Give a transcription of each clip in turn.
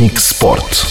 Sputnik Sport.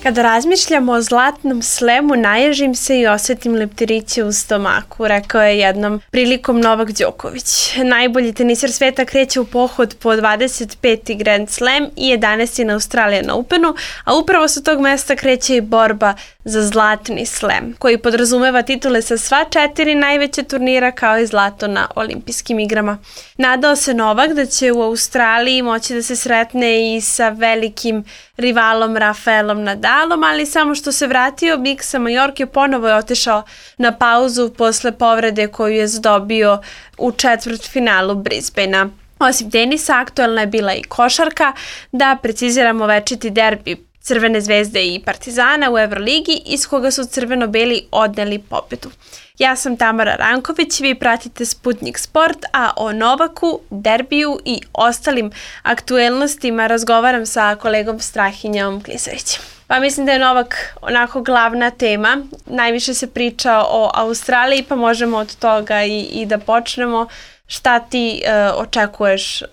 Kada razmišljamo o zlatnom slemu, naježim se i osjetim leptiriće u stomaku, rekao je jednom prilikom Novak Đoković. Najbolji teniser sveta kreće u pohod po 25. Grand Slam i 11. na Australian Openu, a upravo sa tog mesta kreće i borba za zlatni slam, koji podrazumeva titule sa sva 4 najveće turnira kao i zlato na olimpijskim igrama. Nadao se Novak da će u Australiji moći da se sretne i sa velikim rivalom Rafaelom Nadalom, ali samo što se vratio Big sa Majorke ponovo je otišao na pauzu posle povrede koju je zadobio u četvrtfinalu Brisbanea. Osim tenisa, aktuelna je bila i košarka, da preciziramo večiti derbi Crvene zvezde i Partizana u Evroligi, iz koga su crveno-beli odneli pobedu. Ja sam Tamara Ranković, vi pratite Sputnik Sport, a o Novaku, derbiju i ostalim aktuelnostima razgovaram sa kolegom Strahinjom Klisavićem. Pa mislim da je Novak onako glavna tema. Najviše se priča o Australiji, pa možemo od toga i da počnemo. Šta ti očekuješ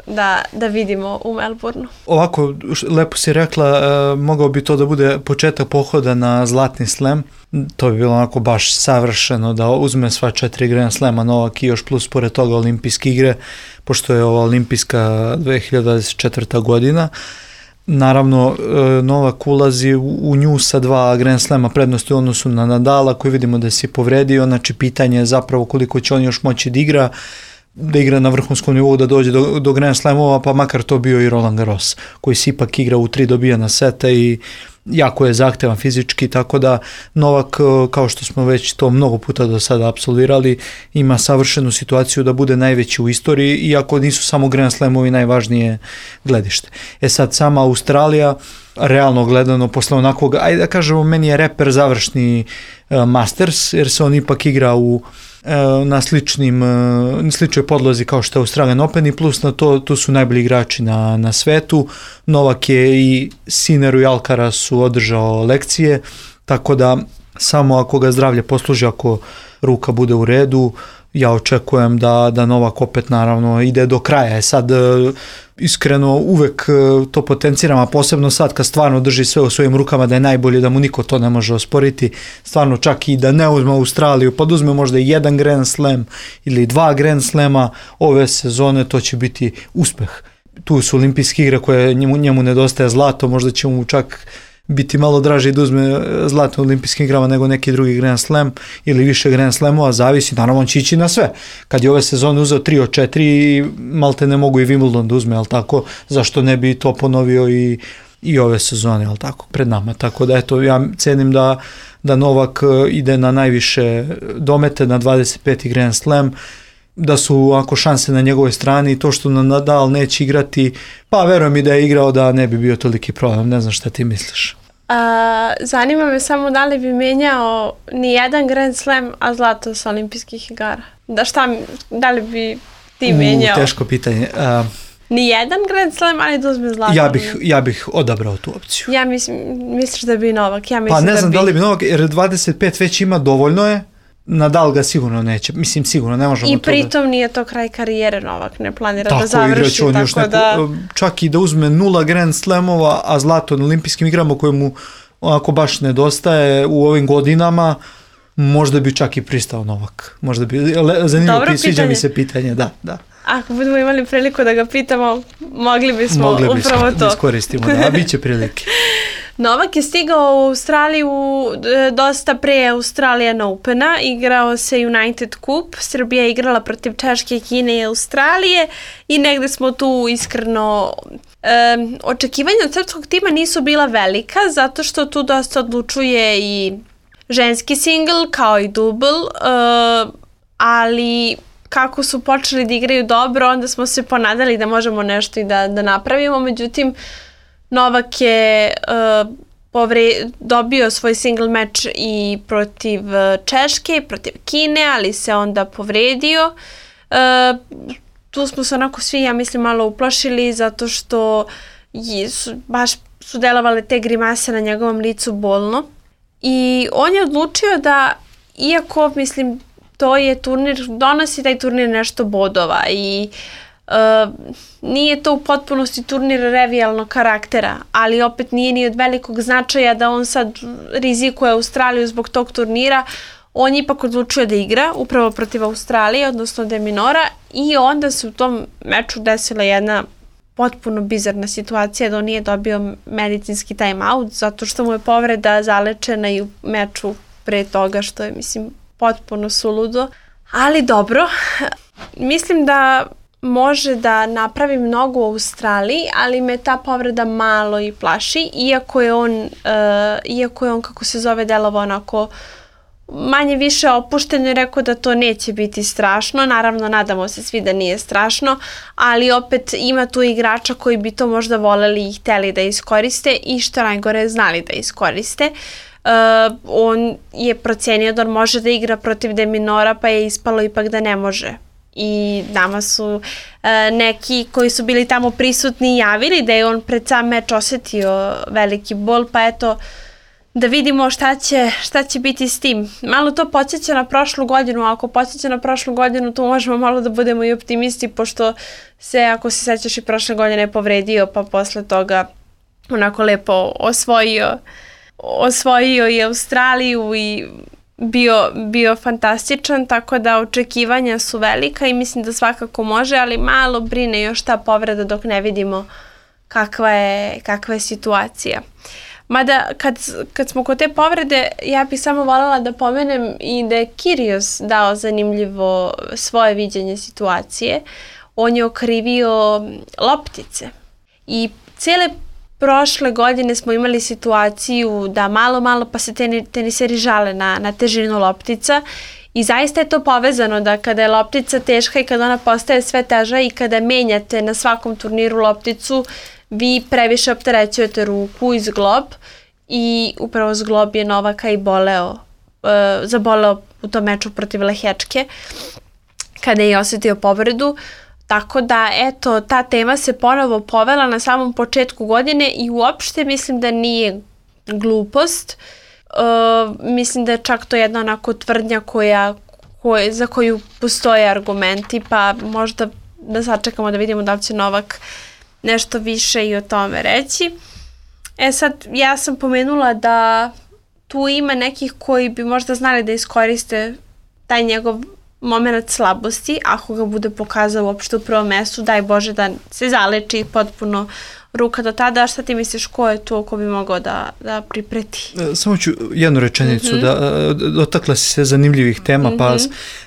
da vidimo u Melbourneu? Ovako, lepo si rekla, mogao bi to da bude početak pohoda na zlatni slam. To bi bilo onako baš savršeno da uzme sva 4 Grand Slama Novak i još plus pored toga olimpijske igre, pošto je ova olimpijska 2024. godina. Naravno, Novak ulazi u nju sa 2 Grand Slama prednosti u odnosu na Nadala, koji vidimo da si povredio. Znači, pitanje je zapravo koliko će on još moći da igra na vrhunskom nivou, da dođe do Grand Slamova, pa makar to bio i Roland Garros, koji se ipak igra u 3 dobijana seta i jako je zahtevan fizički, tako da Novak, kao što smo već to mnogo puta do sada apsolvirali, ima savršenu situaciju da bude najveći u istoriji, iako nisu samo Grand Slamovi najvažnije gledište. Sad, sama Australija, realno gledano, posle onakvog, ajde da kažemo, meni je reper završni Masters, jer se on ipak igra na sličnoj podlozi kao što je Australian Open, i plus na to, tu su najbolji igrači na svetu. Novak je i Sinneru i Alcarazu održao lekcije, tako da samo ako ga zdravlje posluži, ako ruka bude u redu, ja očekujem da Novak opet naravno ide do kraja. Sad iskreno uvek to potenciram, a posebno sad kad stvarno drži sve u svojim rukama, da je najbolje, da mu niko to ne može osporiti. Stvarno čak i da ne uzme Australiju, pa da uzme možda 1 Grand Slam ili 2 Grand Slama ove sezone, to će biti uspeh. Tu su olimpijske igre koje njemu nedostaje zlato, možda će mu čak biti malo draže da uzme zlato u olimpijskim igrama nego neki drugi Grand Slam ili više Grand Slamova, zavisi, naravno on će ići na sve. Kad je ove sezone uzeo 3 od 4, malte ne mogu i Wimbledon da uzme, ali tako, zašto ne bi to ponovio i ove sezone, ali tako, pred nama. Tako da eto, ja cenim da Novak ide na najviše domete, na 25. Grand Slam, da su ako šanse na njegovoj strani, i to što Nadal neće igrati, pa verujem i da je igrao, da ne bi bio toliki problem. Ne znam šta ti misliš. Zanima me samo da li bi menjao ni jedan Grand Slam, a zlato sa olimpijskih igara. Da li bi ti menjao? Teško pitanje. Ni jedan Grand Slam, ali da uzme zlato. Ja bih odabrao tu opciju. Ja misliš da bi Novak? Pa ne znam da li bi Novak, jer 25 već ima, dovoljno je. Nadal ga sigurno neće, mislim sigurno ne možemo. I pritom nije to kraj karijere, Novak ne planira tako, da završi, tako da... Čak i da uzme 0 Grand Slamova, a zlato na olimpijskim igrama koje mu onako baš nedostaje u ovim godinama, možda bi čak i pristao Novak. Možda bi, zanimljivo, sviđa mi se pitanje, da. Ako budemo imali priliku da ga pitamo, mogli bismo upravo to. Da iskoristimo, da, bit će prilike. Novak je stigao u Australiju dosta pre Australian Opena, igrao se United Cup, Srbija je igrala protiv Češke, Kine i Australije i negde smo tu iskreno... Očekivanja od srpskog tima nisu bila velika, zato što tu dosta odlučuje i ženski singl kao i dubl, ali kako su počeli da igraju dobro, onda smo se ponadali da možemo nešto i da napravimo, međutim Novak je dobio svoj single meč i protiv Češke, protiv Kine, ali se onda povredio. Tu smo se onako svi, ja mislim, malo uplašili zato što baš su delovale te grimase na njegovom licu bolno. I on je odlučio da, iako, mislim, to je turnir, donosi taj turnir nešto bodova i Nije to u potpunosti turnir revijalnog karaktera, ali opet nije ni od velikog značaja da on sad rizikuje Australiju zbog tog turnira. On ipak odlučio da igra upravo protiv Australije, odnosno de Minaura, i onda se u tom meču desila jedna potpuno bizarna situacija da on nije dobio medicinski time-out zato što mu je povreda zalečena i u meču pre toga, što je, mislim, potpuno suludo. Ali dobro, mislim da može da napravi mnogo u Australiji, ali me ta povreda malo i plaši, iako je on, kako se zove, delovao onako manje više opušteno i rekao da to neće biti strašno. Naravno, nadamo se svi da nije strašno, ali opet ima tu igrača koji bi to možda voleli i hteli da iskoriste i što najgore znali da iskoriste. On je procenio da on može da igra protiv de Minaura, pa je ispalo ipak da ne može. I nama su neki koji su bili tamo prisutni javili da je on pred sam meč osetio veliki bol, pa eto, da vidimo šta će biti s tim. Malo to podsjeća na prošlu godinu, a ako podsjeća na prošlu godinu, tu možemo malo da budemo i optimisti, pošto se, ako se sećaš, i prošle godine je povredio, pa posle toga onako lepo osvojio i Australiju i bio fantastičan, tako da očekivanja su velika i mislim da svakako može, ali malo brine još ta povreda dok ne vidimo kakva je situacija. Mada kad smo kod te povrede, ja bih samo voljela da pomenem i da je Kyrgios dao zanimljivo svoje viđenje situacije. On je okrivio loptice i cijele prošle godine smo imali situaciju da malo pa se teniseri žale na težinu loptica i zaista je to povezano da kada je loptica teška i kada ona postaje sve teža i kada menjate na svakom turniru lopticu, vi previše opterećujete ruku i zglob i upravo zglob je Novaka i zaboleo u tom meču protiv Lehečke kada je osjetio povredu. Tako da, eto, ta tema se ponovo povela na samom početku godine i uopšte mislim da nije glupost. Mislim da je čak to jedna onako tvrdnja za koju postoje argumenti, pa možda da sačekamo da vidimo da li će Novak nešto više i o tome reći. Sad, ja sam pomenula da tu ima nekih koji bi možda znali da iskoriste taj njegov moment slabosti, ako ga bude pokazao uopšte u prvom mestu, daj Bože da se zaleči potpuno ruka do tada. Šta ti misliš, ko je to ko bi mogao da pripreti? Samo ću jednu rečenicu, dotakla si se zanimljivih tema, pa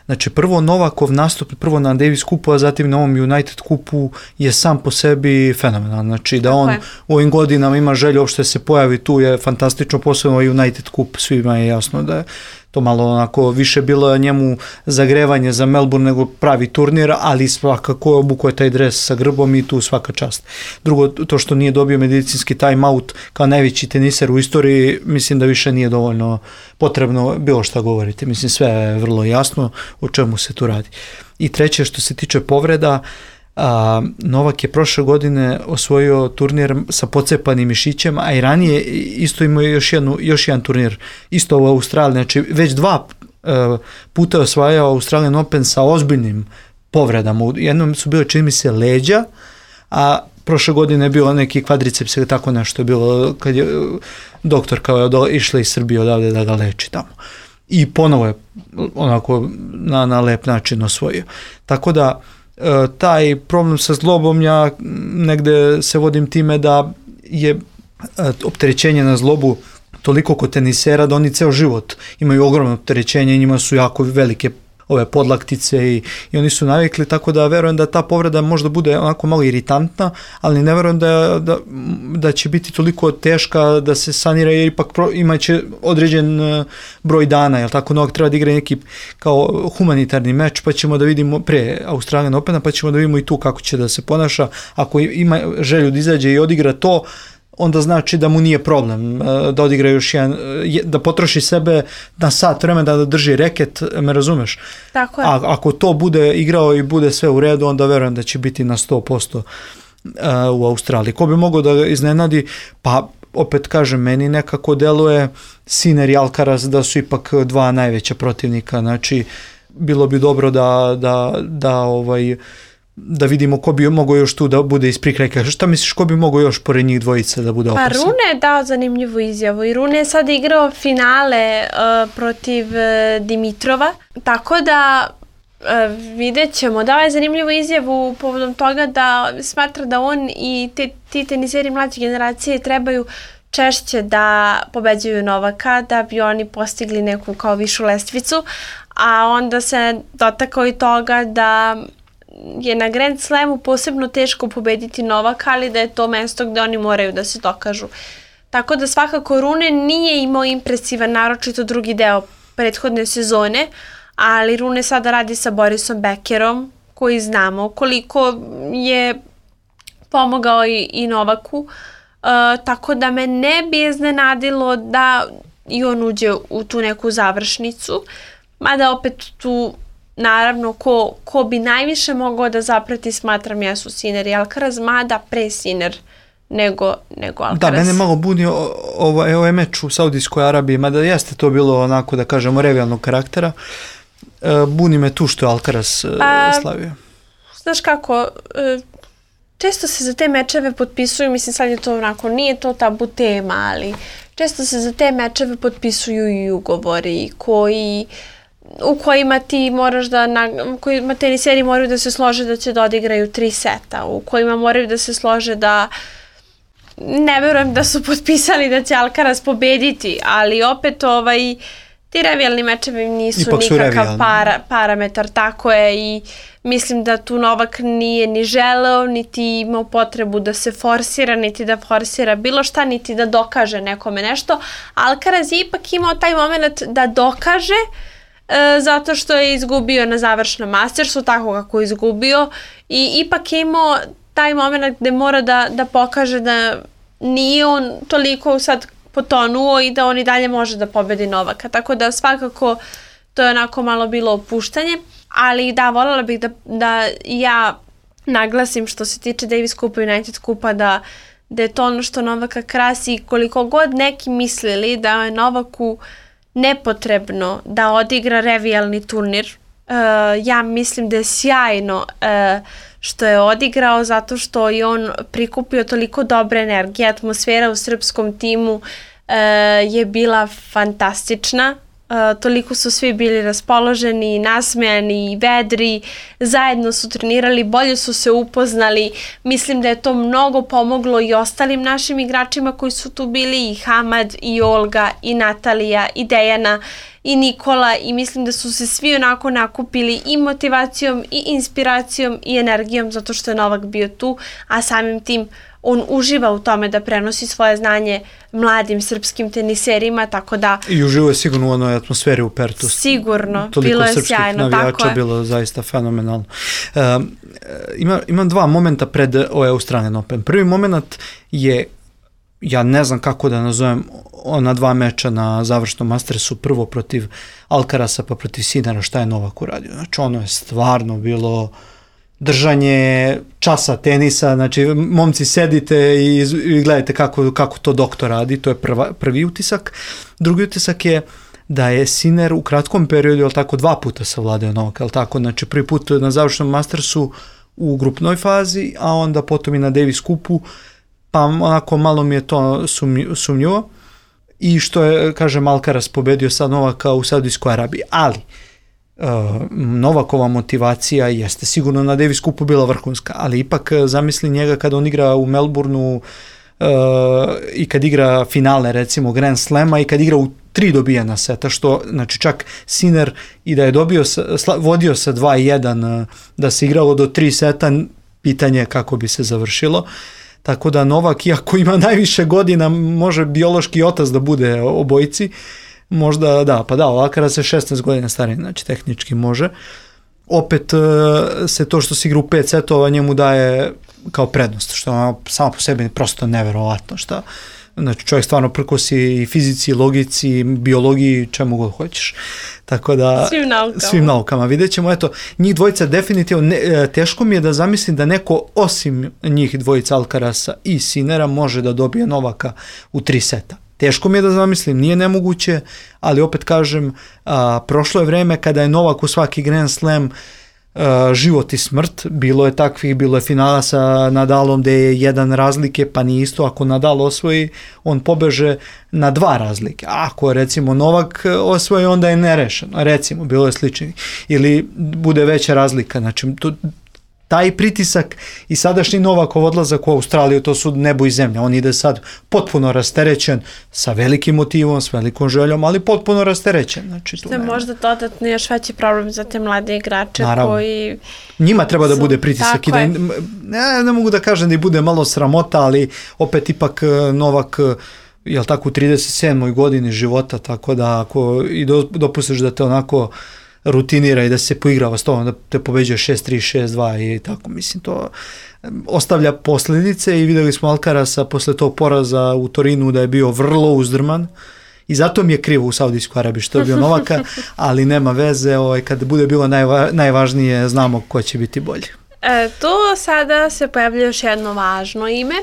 znači prvo Novakov nastup, prvo na Davis kupu, a zatim na ovom United kupu je sam po sebi fenomenal, znači da on u ovim godinama ima želju uopšte se pojavi tu je fantastično, posebno i United kup, svima je jasno da je to malo onako više bilo njemu zagrevanje za Melbourne nego pravi turnir, ali svakako obukao je taj dres sa grbom i tu svaka čast. Drugo, to što nije dobio medicinski time-out kao najveći teniser u istoriji, mislim da više nije dovoljno potrebno bilo šta govoriti. Mislim, sve je vrlo jasno o čemu se tu radi. I treće, što se tiče povreda, Novak je prošle godine osvojio turnir sa pocepanim mišićem, a i ranije isto imao još jedan turnir, isto u Australiji, znači već 2 puta je osvajao Australian Open sa ozbiljnim povredama. Jednom su bile, čini mi se, leđa, a prošle godine je bilo neki kvadriceps ili tako nešto je bilo kad je doktor kao išla iz Srbije odavde da ga leči tamo. I ponovo je onako na lep način osvojio. Tako da taj problem sa zlobom, ja negde se vodim time da je opterećenje na zlobu toliko kod tenisera da oni ceo život imaju ogromno opterećenje i njima su jako velike ove podlaktice i oni su navikli, tako da verujem da ta povreda možda bude onako malo iritantna, ali ne verujem da će biti toliko teška da se sanira, jer ipak imaće određen broj dana, jel tako, Novak treba da igra neki kao humanitarni meč, pa ćemo da vidimo pre Australian Opena, pa ćemo da vidimo i tu kako će da se ponaša. Ako ima želju da izađe i odigra to, onda znači da mu nije problem da odigra još jedan, da potroši sebe na sat vremena da drži reket, me razumeš? Tako je. A ako to bude igrao i bude sve u redu, onda verujem da će biti na 100% u Australiji. Ko bi mogao da ga iznenadi? Pa opet kažem, meni nekako deluje Sinner i Alcaraz da su ipak 2 najveća protivnika, znači bilo bi dobro da da vidimo ko bi mogao još tu da bude iz prikrajka. Šta misliš, ko bi mogao još pored njih dvojice da bude opasan? Pa Rune je dao zanimljivu izjavu i Rune je sad igrao finale protiv Dimitrova, tako da vidjet ćemo. Dao je zanimljivu izjavu povodom toga da smatra da on i ti teniseri mlađe generacije trebaju češće da pobeđuju Novaka da bi oni postigli neku kao višu lestvicu, a onda se dotakao i toga da je na Grand Slamu posebno teško pobediti Novaka, ali da je to mesto gde oni moraju da se dokažu. Tako da svakako Rune nije imao impresivan, naročito drugi deo prethodne sezone, ali Rune sada radi sa Borisom Bekerom, koji znamo koliko je pomogao i Novaku, tako da me ne bi iznenadilo da i on uđe u tu neku završnicu, mada opet tu naravno ko bi najviše mogao da zaprati, smatram, jesu Sinner i Alcaraz, mada pre Sinner nego Alcaraz. Da, mene malo buni ovaj meč u Saudijskoj Arabiji, mada jeste to bilo onako da kažemo revijalnog karaktera. Buni me tu što je Alcaraz slavio. Znaš kako, često se za te mečeve potpisuju, mislim sad je to onako, nije to tabu tema, ali često se za te mečeve potpisuju i ugovori u kojima ti moraš u kojima teniseri moraju da se slože da će da odigraju 3 seta, u kojima moraju da se slože da ne verujem da su potpisali da će Alcaraz pobediti, ali opet ti revijalni mečevi nisu ipak nikakav parametar, tako je, i mislim da tu Novak nije ni želeo, niti imao potrebu da se forsira, niti da forsira bilo šta, niti da dokaže nekome nešto. Alcaraz je ipak imao taj moment da dokaže, zato što je izgubio na završnom Mastersu, tako kako je izgubio, i ipak je imao taj moment gde mora da pokaže da nije on toliko sad potonuo i da on i dalje može da pobedi Novaka. Tako da svakako to je onako malo bilo opuštanje, ali da, voljela bih da ja naglasim što se tiče Davis Cupa i United Cupa da je to ono što Novaka krasi, koliko god neki mislili da je Novaku nepotrebno da odigra revijalni turnir. Ja mislim da je sjajno što je odigrao, zato što je on prikupio toliko dobre energije. Atmosfera u srpskom timu je bila fantastična. Toliko su svi bili raspoloženi, nasmejani i vedri, zajedno su trenirali, bolje su se upoznali. Mislim da je to mnogo pomoglo i ostalim našim igračima koji su tu bili, i Hamad, i Olga, i Natalija, i Dejana, i Nikola, i mislim da su se svi onako nakupili i motivacijom, i inspiracijom, i energijom, zato što je Novak bio tu, a samim tim on uživa u tome da prenosi svoje znanje mladim srpskim teniserima, tako da... I uživa je sigurno u onoj atmosferi u Pertu. Sigurno, bilo je sjajno, tako je. Bilo zaista fenomenalno. Imam 2 momenta pred Australian Open. Prvi moment je, ja ne znam kako da nazovem, ona 2 meča na završnom Mastersu, prvo protiv Alcaraza pa protiv Sinnera, šta je Novak uradio. Znači ono je stvarno bilo držanje časa tenisa, znači momci sedite i gledajte kako to doktor radi, to je prvi utisak. Drugi utisak je da je Sinner u kratkom periodu, jel tako, 2 puta savladao Novaka, jel tako, znači prvi put na završnom Mastersu u grupnoj fazi, a onda potom i na Davis Cupu, pa onako malo mi je to sumnjivo. I što je, kažem, Alcaraz pobedio sad Novaka u Saudijskoj Arabiji, ali Novakova motivacija jeste sigurno na Davis Cupu bila vrhunska, ali ipak zamisli njega kada on igra u Melbourneu i kad igra finale recimo Grand Slama i kad igra u 3 dobijena seta, što znači čak Sinner i da je vodio sa 2-1 da se igralo do 3 seta, pitanje kako bi se završilo. Tako da Novak, iako ima najviše godina, može biološki otac da bude obojici. Možda, da, pa da, Alcaraz je 16 godina stariji, znači tehnički može. Opet se to što se igra u 5 setova njemu daje kao prednost, što je samo po sebi prosto neverovatno. Znači čovjek stvarno prkosi i fizici, logici, biologiji, čemu god hoćeš. Tako da, svim naukama. Vidjet ćemo, eto, njih dvojica definitivno, teško mi je da zamislim da neko osim njih dvojica Alcaraza i Sinnera može da dobije Novaka u 3 seta. Teško mi je da zamislim, nije nemoguće, ali opet kažem, prošlo je vreme kada je Novak u svaki Grand Slam život i smrt, bilo je takvih, bilo je finala sa Nadalom gde je jedan razlike, pa nije isto, ako Nadal osvoji, on pobeže na 2 razlike, ako recimo Novak osvoji, onda je nerešeno, recimo, bilo je slično, ili bude veća razlika, znači taj pritisak i sadašnji Novakov odlazak u Australiju, to su nebo i zemlja. On ide sad potpuno rasterećen, sa velikim motivom, s velikom željom, ali potpuno rasterećen. Znači, što je možda dodatno još veći problem za te mlade igrače. Naravno. Koji njima treba da bude pritisak. I da, ne mogu da kažem da i bude malo sramota, ali opet ipak Novak jel tako u 37. godini života, tako da ako i dopustiš da te onako rutinira i da se poigrava s tobom, da te pobeđuje 6-3, 6-2 i tako, mislim, to ostavlja posljedice i videli smo Alcarasa posle tog poraza u Torinu da je bio vrlo uzdrman i zato mi je krivo u Saudijskoj Arabiji što je bio Novaka, ali nema veze, kad bude bilo najvažnije, znamo ko će biti bolji. Tu sada se pojavlja još jedno važno ime,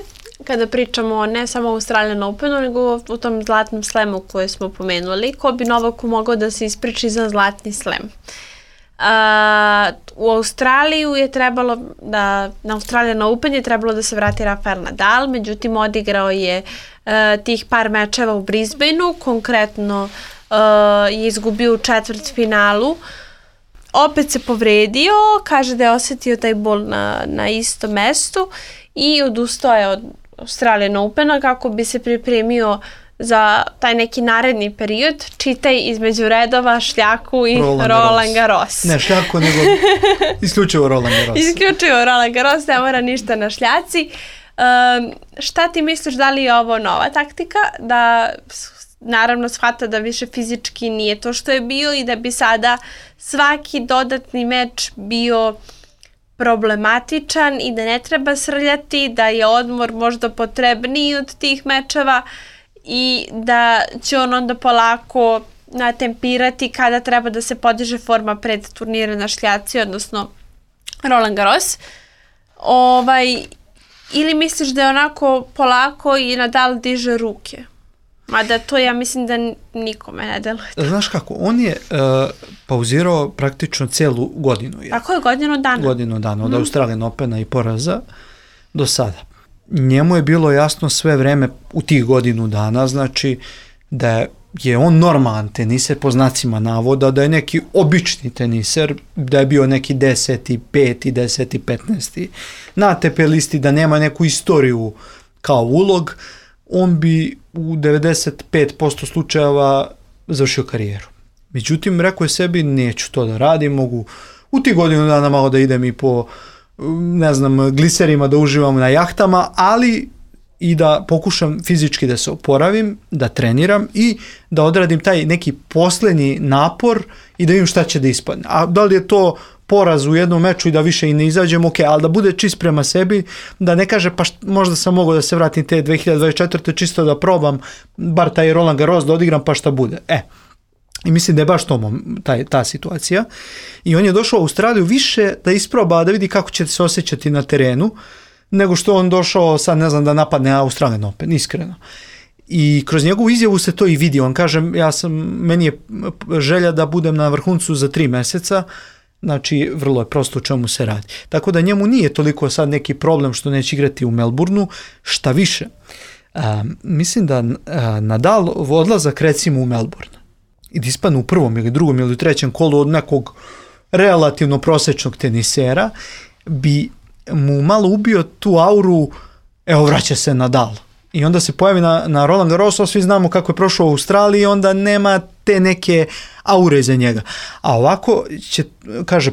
kada pričamo ne samo o Australian Openu, nego u tom zlatnom slemu koje smo pomenuli, ko bi Novaku mogao da se ispriči za zlatni slem. U Australiju je trebalo na Australian Open je trebalo da se vrati Rafael Nadal, međutim odigrao je tih par mečeva u Brisbaneu, konkretno je izgubio u četvrtfinalu, opet se povredio, kaže da je osjetio taj bol na istom mestu i odustao je od Australian Opena kako bi se pripremio za taj neki naredni period. Čitaj između redova šljaku i Roland Garros. Ne šljaku, nego isključivo Roland Garros. Isključivo Roland Garros, ne mora ništa na šljaci. Šta ti misliš, da li je ovo nova taktika? Da naravno shvata da više fizički nije to što je bio i da bi sada svaki dodatni meč bio problematičan i da ne treba srljati, da je odmor možda potrebniji od tih mečeva i da će on onda polako natempirati kada treba da se podiže forma pred turnire na šljaci, odnosno Roland Garros. Ili misliš da je onako polako i Nadal diže ruke? Mada to ja mislim da nikome ne deluje. Znaš kako, on je pauzirao praktično celu godinu. Tako je, godinu dana. Godinu dana, od Australian Opena i poraza do sada. Njemu je bilo jasno sve vreme u tih godinu dana, znači da je on normalan teniser po znacima navoda, da je neki obični teniser, da je bio neki 10. 5. 10. 15. na ATP listi, da nema neku istoriju kao ulog, on bi u 95% slučajeva završio karijeru. Međutim, rekao je sebi, neću to da radim, mogu u tih godinu dana malo da idem i po, ne znam, gliserima, da uživam na jahtama, ali i da pokušam fizički da se oporavim, da treniram i da odradim taj neki poslednji napor i da vidim šta će da ispadne. A da li je to poraz u jednom meču i da više i ne izađem, ok, ali da bude čist prema sebi, da ne kaže pa možda sam mogao da se vratim te 2024. čisto da probam bar taj Roland Garros da odigram pa šta bude. I mislim da je baš to ta situacija. I on je došao u Australiju više da isproba, da vidi kako će se osjećati na terenu, nego što on došao sad, ne znam, da napadne Australian Open, iskreno. I kroz njegovu izjavu se to i vidi. On kaže, meni je želja da budem na vrhuncu za 3 meseca, znači vrlo je prosto o čemu se radi. Tako da njemu nije toliko sad neki problem što neće igrati u Melbourneu, šta više. Mislim da Nadal odlazak recimo u Melbourne i da ispadne u prvom ili drugom ili trećem kolu od nekog relativno prosečnog tenisera bi mu malo ubio tu auru, evo vraća se Nadal. I onda se pojavi na Roland Garrosu, svi znamo kako je prošao u Australiji i onda nema te neke aure za njega. A ovako će, kaže,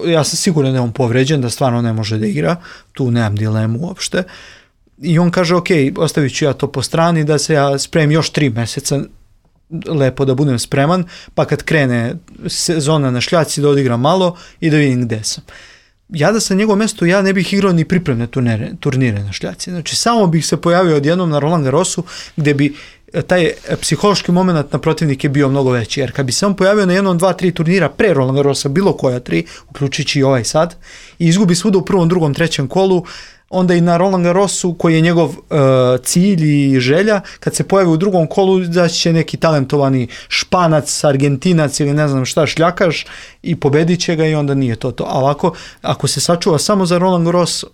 ja sam siguran da je on povređen, da stvarno ne može da igra, tu nemam dilemu uopšte. I on kaže, ok, ostavit ću ja to po strani, da se ja spremim još 3 meseca, lepo da budem spreman, pa kad krene sezona na šljaci da odigram malo i da vidim gde sam. Ja da sam njegovom mjestu, ja ne bih igrao ni pripremne turnire na šljaci. Znači, samo bih se pojavio odjednom na Roland Garrosu, gde bi taj psihološki moment na protivnike bio mnogo veći. Jer kad bi se on pojavio na 1, 2, 3 turnira pre Roland Garrosa, bilo koja 3, uključujući i ovaj sad, i izgubi svuda u prvom, drugom, trećem kolu, onda i na Roland Garrosu koji je njegov cilj i želja, kad se pojavi u drugom kolu zaći će neki talentovani Španac, Argentinac ili ne znam šta šljakaš i pobedit će ga i onda nije to. A ovako, ako se sačuva samo za Roland Garros,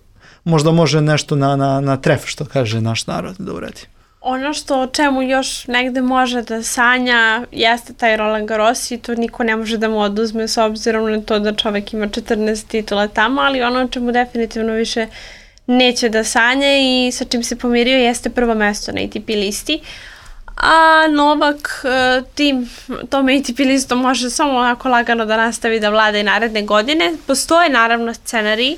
možda može nešto na tref, što kaže naš narod, da uradi. Ono što o čemu još negde može da sanja jeste taj Roland Garros i to niko ne može da mu oduzme s obzirom na to da čovek ima 14 titula tamo, ali ono o čemu definitivno više neće da sanja i sa čim se pomirio jeste prvo mesto na ATP listi. A Novak tom ATP listom može samo onako lagano da nastavi da vlada i naredne godine. Postoje naravno scenariji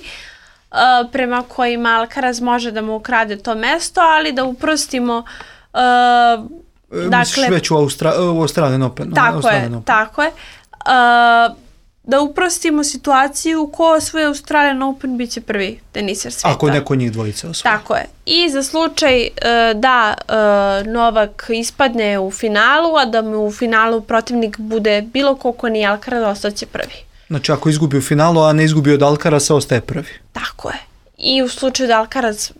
prema kojima Alcaraz može da mu ukrade to mesto, ali da uprostimo misliš već u Australian Open. Tako je. Da uprostimo situaciju ko osvoje Australian Open bit će prvi teniser sveta. Ako neko njih dvojica osvoje. Tako je. I za slučaj da Novak ispadne u finalu, a da mu u finalu protivnik bude bilo ko nije Alcaraz, ostaće prvi. Znači ako izgubi u finalu, a ne izgubi od Alcaraza, ostaje prvi. Tako je. I u slučaju da Alcaraz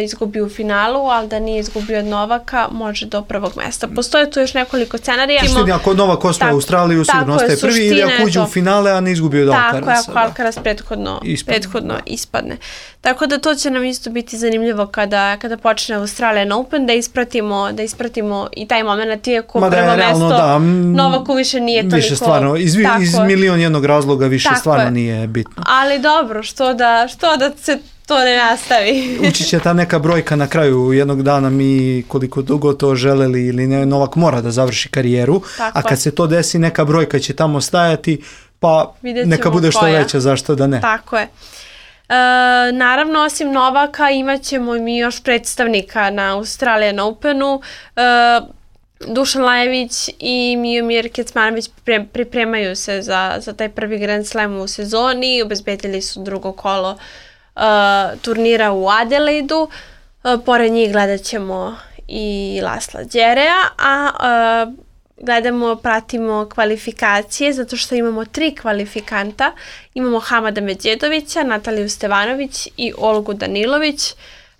izgubi u finalu, ali da nije izgubio od Novaka, može do prvog mesta. Postoje tu još nekoliko scenarija. Suštini, ako Novak osvoji Australiju, sigurno ostaje prvi, ili ako uđe u finale, a ne izgubi od Alcaraza. Tako je, ako Alcaraz prethodno ispadne. Tako da to će nam isto biti zanimljivo kada počne Australian Open, da ispratimo i taj moment, iako prvo mesto Novaku više nije toliko. Više stvarno, iz milion jednog razloga više stvarno nije bitno. Ali dobro, što da se to ne nastavi. Ući će ta neka brojka na kraju jednog dana, mi koliko dugo to želeli ili ne, Novak mora da završi karijeru, a kad se to desi neka brojka će tamo stajati, pa neka bude što veća, zašto da ne. Tako je. Naravno, osim Novaka imat ćemo mi još predstavnika na Australian Openu. Dušan Lajović i Miomir Kecmanović pripremaju se za taj prvi Grand Slam u sezoni, obezbedili su drugo kolo turnira u Adelaidu. Pored njih gledat ćemo i Lasla Đerea, a pratimo kvalifikacije zato što imamo 3 kvalifikanta. Imamo Hamada Medjedovića, Nataliju Stevanović i Olgu Danilović,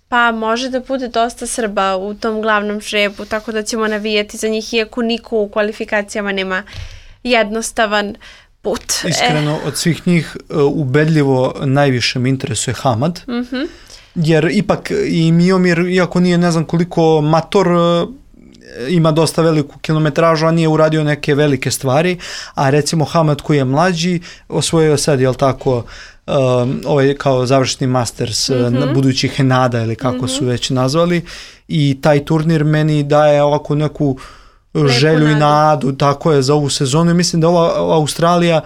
pa može da bude dosta Srba u tom glavnom žrebu, tako da ćemo navijati za njih, iako niko u kvalifikacijama nema jednostavan put. Iskreno, od svih njih ubedljivo najviše me interesuje Hamad, jer ipak i Miomir, iako nije ne znam koliko mator, ima dosta veliku kilometražu, a nije uradio neke velike stvari, a recimo Hamad koji je mlađi, osvojio sad, jel tako, ovaj kao završni Masters budućih Henada ili kako su već nazvali, i taj turnir meni daje ovako neku želju i nadu, tako je, za ovu sezonu, i mislim da ova Australija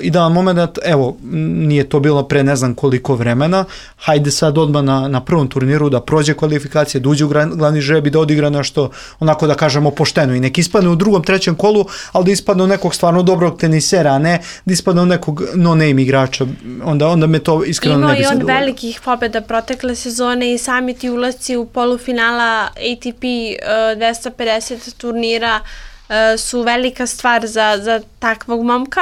idealan moment, evo, nije to bilo pre ne znam koliko vremena, hajde sad odmah na prvom turniru da prođe kvalifikacije, da uđe u glavni žreb i da odigra nešto, onako da kažemo pošteno, i nek ispadne u drugom, trećem kolu, ali da ispadne u nekog stvarno dobrog tenisera, a ne da ispadne u nekog no-name igrača, onda me to iskreno ne bi zadovoljilo. Imao i on velikih pobjeda protekle sezone i sami ti ulasci u polufinala ATP 250 turnira su velika stvar za takvog momka.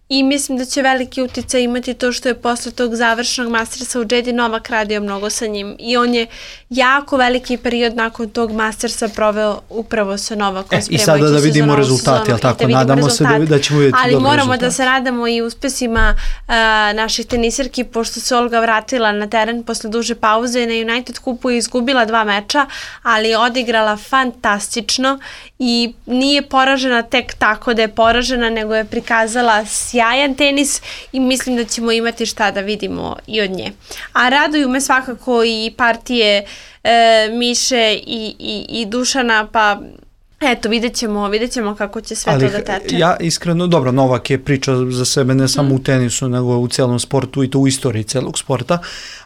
I mislim da će veliki uticaj imati to što je posle tog završenog Mastersa u Jeddi Novak radio mnogo sa njim. I on je jako veliki period nakon tog Mastersa proveo upravo sa Novakom. I sada da vidimo rezultate, jel tako? Nadamo se da ćemo vidjeti dobro rezultate. Ali moramo da se radamo i uspesima naših tenisirki, pošto se Olga vratila na teren posle duže pauze, na United Cupu je izgubila 2 meča, ali je odigrala fantastično i nije poražena tek tako da je poražena, nego je prikazala sjajan tenis i mislim da ćemo imati šta da vidimo i od nje. A raduju me svakako i partije Miše i Dušana, pa eto, vidjet ćemo kako će sve to da teče. Ja iskreno, dobro, Novak je priča za sebe ne samo u tenisu, nego u celom sportu i to u istoriji celog sporta,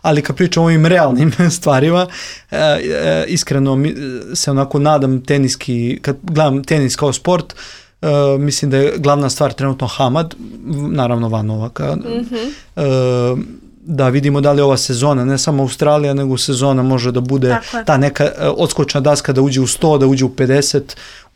ali kad pričam o ovim realnim stvarima, iskreno se onako nadam teniski, kad gledam tenis kao sport, mislim da je glavna stvar trenutno Hamad, naravno van Novaka, da vidimo da li ova sezona, ne samo Australija, nego sezona može da bude ta neka odskočna daska, da uđe u 100, da uđe u 50,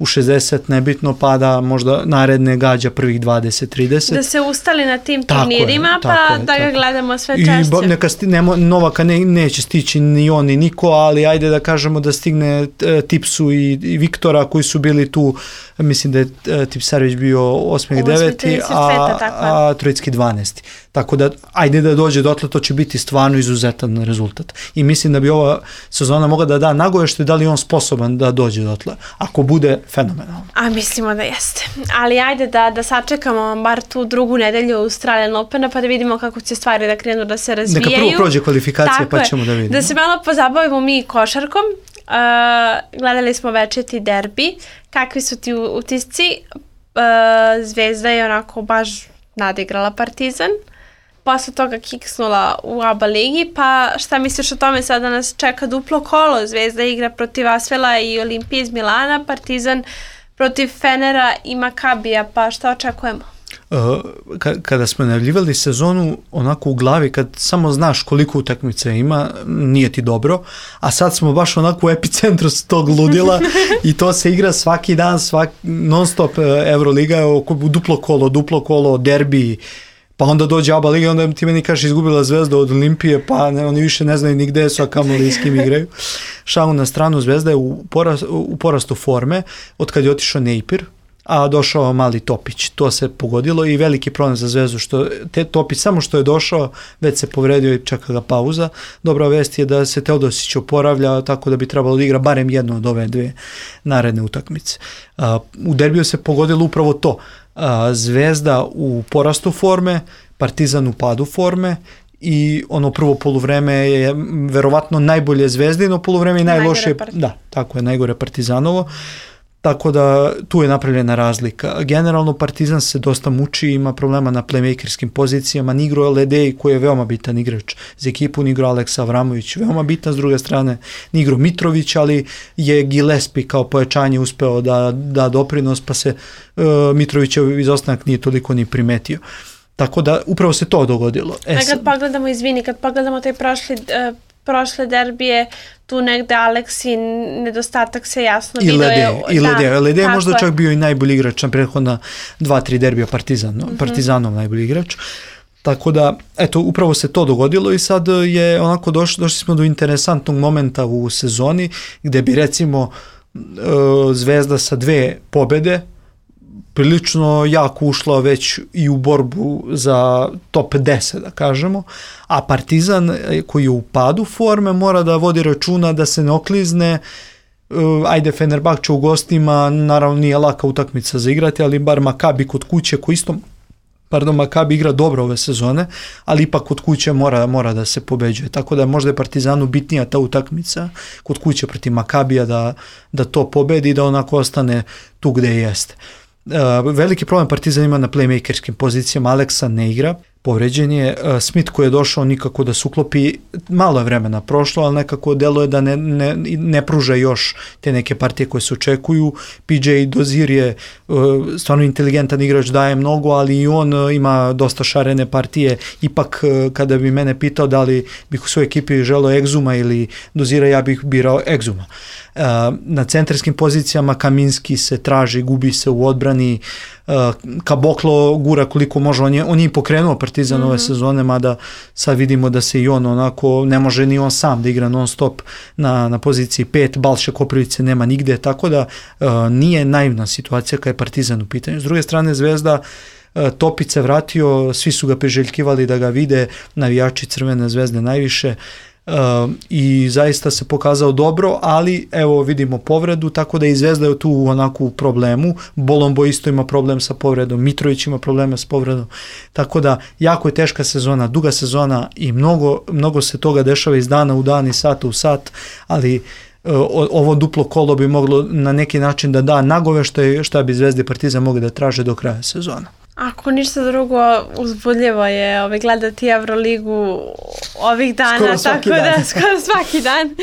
u 60, nebitno, pa da možda naredne gađa prvih 20-30. Da se ustali na tim turnirima, da ga gledamo sve češće. Novaka neće stići ni on ni niko, ali ajde da kažemo da stigne Tipsu i Viktora koji su bili tu, mislim da je Tipsarević bio 8. i 9. a Trojicki 12. Tako da, ajde da dođe dotle, to će biti stvarno izuzetan rezultat. I mislim da bi ova sezona mogla da da nagovešte da li je on sposoban da dođe dotle. Ako bude, fenomenalno. A mislimo da jeste. Ali ajde da sačekamo bar tu drugu nedelju Australian Opena pa da vidimo kako će stvari da krenu da se razvijaju. Neka prvo prođe kvalifikacije pa ćemo da vidimo. Da se malo pozabavimo mi košarkom. Gledali smo večeti derbi. Kakvi su ti utisci? Zvezda je onako baš nadigrala Partizan. Posle toga kiksnula u ABA ligi, pa šta misliš o tome, sada nas čeka duplo kolo, Zvezda igra protiv Asvela i Olimpije iz Milana, Partizan protiv Fenera i Makabija, pa šta očekujemo? Kada smo najavljivali sezonu, onako u glavi, kad samo znaš koliko utakmica ima, nije ti dobro, a sad smo baš onako u epicentru tog ludila i to se igra svaki dan, non stop Euroliga, duplo kolo, derbi, pa onda dođe ABA liga, onda ti meni kažeš izgubila Zvezda od Olimpije, pa oni više ne znaju ni gde su, a kamoli s kim igraju. Šalu na stranu, Zvezda je u porastu forme, od kad je otišao Nejpir, a došao mali Topić. To se pogodilo i veliki problem za Zvezdu, što Topić samo što je došao, već se povredio i čeka ga pauza. Dobra vest je da se Teodosić oporavlja, tako da bi trebalo da igra barem jednu od ove dve naredne utakmice. U derbiju se pogodilo upravo to. Zvezda u porastu forme, Partizan u padu forme i ono prvo poluvreme je verovatno najbolje Zvezdino poluvreme i najlošije, tako je, najgore Partizanovo. Tako da tu je napravljena razlika. Generalno Partizan se dosta muči, ima problema na playmakerskim pozicijama, ni igrao Ledej koji je veoma bitan igrač za ekipu, ni igrao Aleksa Avramović, veoma bitan, s druge strane ni igrao Mitrović, ali je Gillespie kao pojačanje uspeo da doprinos, pa se Mitrovićev izostanak nije toliko ni primetio. Tako da upravo se to dogodilo. Kad pogledamo taj prošle derbije, tu negde Aleksi nedostatak se jasno vidio. Ledej je možda čak bio i najbolji igrač na prethodna 2-3 derbija Partizanov najbolji igrač. Tako da, eto, upravo se to dogodilo i sad je onako došli smo do interesantnog momenta u sezoni gde bi recimo Zvezda sa 2 pobede prilično jako ušla već i u borbu za top 10, da kažemo, a Partizan koji je u padu forme mora da vodi računa da se ne oklizne. Ajde, Fenerbahče u gostima, naravno nije laka utakmica za igrati, ali bar Makabi kod kuće koji isto, Makabi igra dobro ove sezone, ali ipak kod kuće mora da se pobeđuje. Tako da možda je Partizanu bitnija ta utakmica kod kuće protiv Makabija da to pobedi i da onako ostane tu gde jeste. Veliki problem Partizan ima na playmakerskim pozicijama, Aleksa ne igra, povređen je, Smith koji je došao nikako da se uklopi, malo je vremena prošlo, ali nekako deluje da ne pruža još te neke partije koje se očekuju. PJ Dozir je stvarno inteligentan igrač, daje mnogo, ali i on ima dosta šarene partije. Ipak kada bi mene pitao da li bih u svojoj ekipi želeo Egzuma ili Dozira, ja bih birao Egzuma. Na centarskim pozicijama Kaminski se traži, gubi se u odbrani, Kaboklo gura koliko može, on je i pokrenuo Partizan ove sezone, mada sad vidimo da se i on onako, ne može ni on sam da igra non stop na poziciji 5, Balše Koprivice nema nigde, tako da nije naivna situacija kada je Partizan u pitanju. S druge strane Zvezda, Topić se vratio, svi su ga priželjkivali da ga vide, navijači Crvene Zvezde najviše, i zaista se pokazao dobro, ali evo vidimo povredu, tako da i Zvezda je tu onako u problemu. Bolombo isto ima problem sa povredom, Mitrović ima probleme sa povredom, tako da jako je teška sezona, duga sezona i mnogo se toga dešava iz dana u dan i sata u sat, ali ovo duplo kolo bi moglo na neki način da da nagoveštaj šta bi Zvezda i Partizan mogli da traže do kraja sezona. Ako ništa drugo, uzbudljivo je gledati Euroligu ovih dana, skoro svaki dan.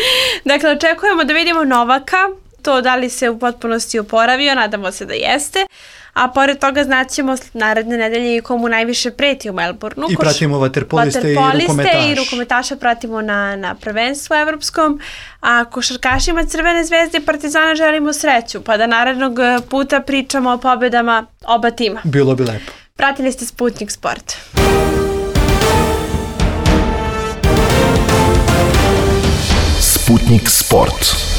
Dakle, očekujemo da vidimo Novaka, to da li se u potpunosti oporavio, nadamo se da jeste, a pored toga znaćemo naredne nedelje i komu najviše preti u Melbourneu. I pratimo vaterpoliste i rukometaša pratimo na prvenstvu evropskom, a košarkašima Crvene zvezde i Partizana želimo sreću, pa da narednog puta pričamo o pobedama oba tima. Bilo bi lepo. Pratili ste Sputnik Sport. Sputnik Sport.